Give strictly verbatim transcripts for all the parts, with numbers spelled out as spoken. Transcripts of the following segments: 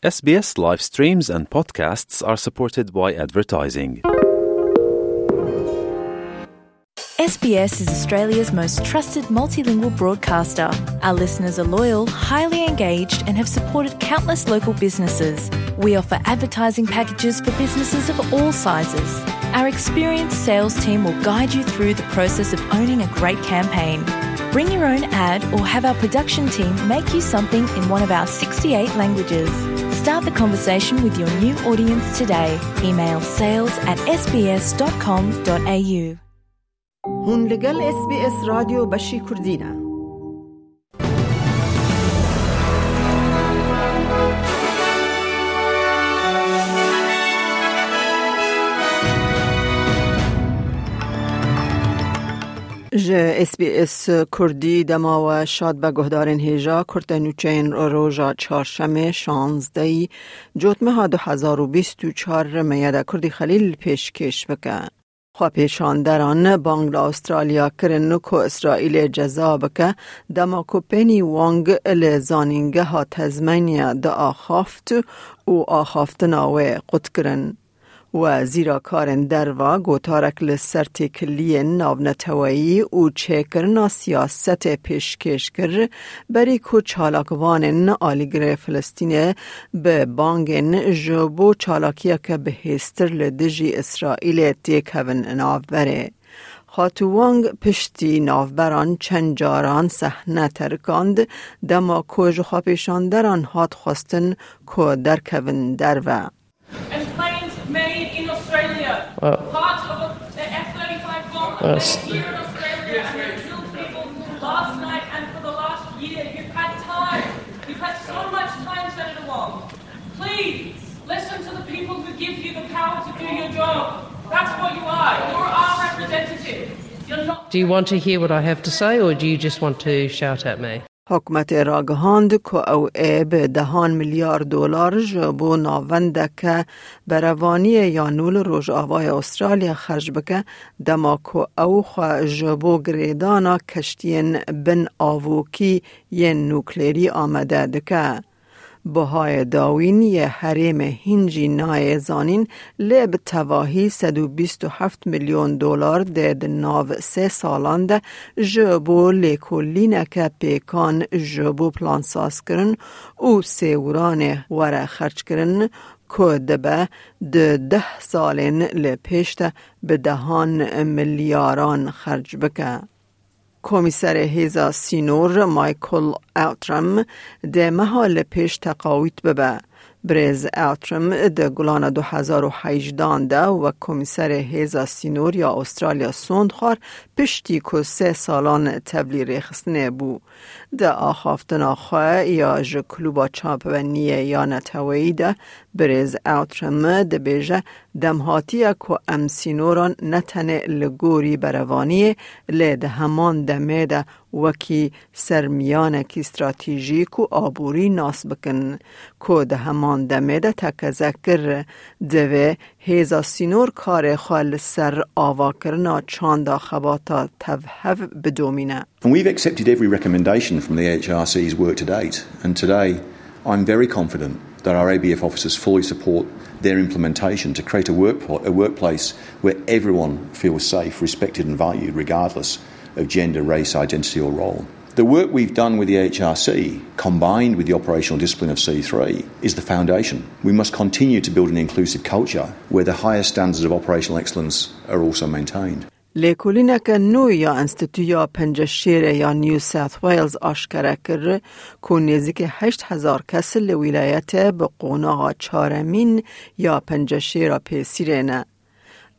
S B S live streams and podcasts are supported by advertising. S B S is Australia's most trusted multilingual broadcaster. Our listeners are loyal, highly engaged, and have supported countless local businesses. We offer advertising packages for businesses of all sizes. Our experienced sales team will guide you through the process of owning a great campaign. Bring your own ad or have our production team make you something in one of our sixty-eight languages. Start the conversation with your new audience today. Email sales at S B S dot com dot A U. Hûn li gel S B S Radyo Beşî Kurdî ne. Ji S B S Kurdî dema we şad be guhdarên hêja, kurte nûçeyên roja çarşemê şazdehî Cotmeha du hezar û bîst û çar me ya de Kurdî Xelîl pêşkêş bike. Xwepêşanderan bang li Astralya kirin ku Îsraîlê ceza bike, dema ku Penny Wong li zanîngeha Tasmania diaxaft û axaftina wê qut kirin. Wezîra Karên Derve gotarek li ser têkiliyên navneteweyî û çêkirina siyasetê pêşkêş kir, berî ku çalakvanên alîgirê Filistînê bi bangên ji bo çalakiyeke bihêztir li dijî Îsraîlê têkevin navberê. Xatû Wang piştî navberan çend caran sehne terikand, dema ku ji xwepêşanderan hat xwestin ku derkevin derve. And claimed made in Australia, part of a, the F thirty-five bomb made here in Australia, and they killed people last night and for the last year. You've had time. You've had so much time, Senator Wong. Please listen to the people who give you the power to do your job. That's what you are. You're our representative. You're not. Do you want to hear what I have to say, or do you just want to shout at me? Hikûmetê ragihand ku ew ê bi dehan milyar dolar ji bo navendeke berevaniyê ya nû li Rojavayê Astralya xerc bike, dema ku ew xwe ji bo girêdana keştiyên bin avokî yên nuklerî amade dike. Bihayê dawîn yê herêmê hîn jî nayê zanîn, lê bi tevahî sed û bîst û heft milyon dolar dê di nav sê salan de ji bo lêkolîneke pêkan ji bo plansazkirin û sêwiranê were xerckirin, ku dibe di deh salên li pêş de bi dehan milyaran xerc bike. Komîserê Hêza Sînor Michael Outram dê meha li pêş teqawît bibe. Birêz Outram di gulana du hezar û hejdehan de wek Komîserê Hêza Sînor ya Astralya sond xwar, piştî ku sê salan tevlî rêxistinê bû. Di axaftina xwe ya ji Klûba Çapemeniyê ya Neteweyî de birêz Outram dibêje, dem hatiye ku em sînoran ne tenê li gorî berevaniyê, lê di heman demê de wekî sermiyanekî stratejîk û aborî nas bikin, ku di heman demê de tekeze kir, divê hêza sînor karê xwe li ser avakirina çanda xebata tevhev bidomîne. And we've accepted every recommendation from the A H R C's work to date, and today I'm very confident that our A B F officers fully support their implementation to create a work, a workplace where everyone feels safe, respected and valued regardless of gender, race, identity or role. The work we've done with the A H R C, combined with the operational discipline of C three, is the foundation. We must continue to build an inclusive culture where the highest standards of operational excellence are also maintained. Lêkolîneke nû ya Enstîtuya Penceşêrê ya New South Wales aşkere kir ku nêzîkî heşt hezar kes li wîlayetê bi qonaxa çaremîn ya penceşêra pêsîrê ne.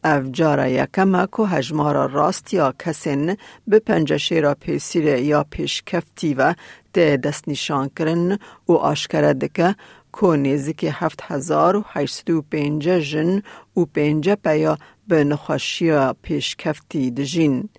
Ev cara yekem e ku hejmara rast ya kesên bi penceşêra pêsîrê ya pêşkeftî ve tê destnîşankirin û aşkere dike ku nêzîkî heft hezar û heşt sed û pêncî jin û pêncî peya bi nexweşiya pêşkeftî dijîn.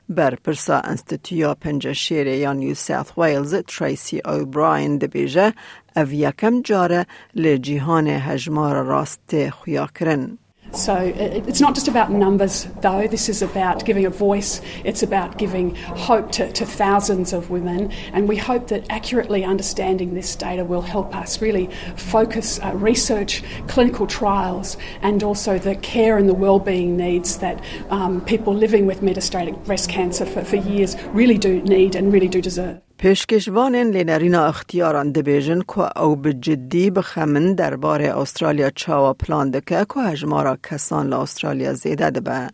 Berpirsa Enstîtuya Penceşêrê ya New South Wales, Tracy O'Brien, dibêje, ev yekem car e li cîhanê hejmara rast tê xuyakirin. So it- it's not just about numbers, though. This is about giving a voice. It's about giving hope to, to thousands of women. And we hope that accurately understanding this data will help us really focus uh, research, clinical trials, and also the care and the wellbeing needs that um, people living with metastatic breast cancer for, for years really do need and really do deserve. Pêşkêşvanên lênerîna ixtiyaran dibêjin ku ew bi cidî bixemin derbarê Astralya çawa plan dike ku hejmara kesan li Astralya zêde dibe.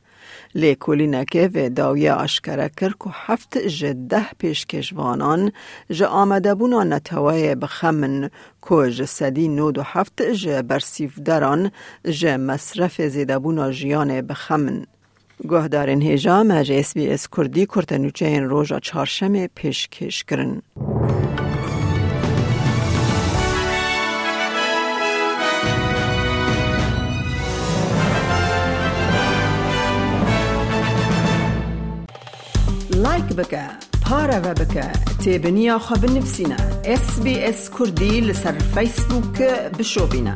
Lêkolînekê vê dawiyê aşkere kir ku heft ji deh pêşkêşvanan ji amadebûna neteweyê bixemin ku ji sedî nod û heft ji bersîvderan ji mesrefê zêdebûna jiyanê bixemin. Guhdarên hêja me ji S B S Kurdî kurtenûçeyên roja çarşemê pêşkêş kirin. Like bike, pareve bike, têbiniya xwe binivîsîne. S B S Kurdî li ser Facebook bişopîne.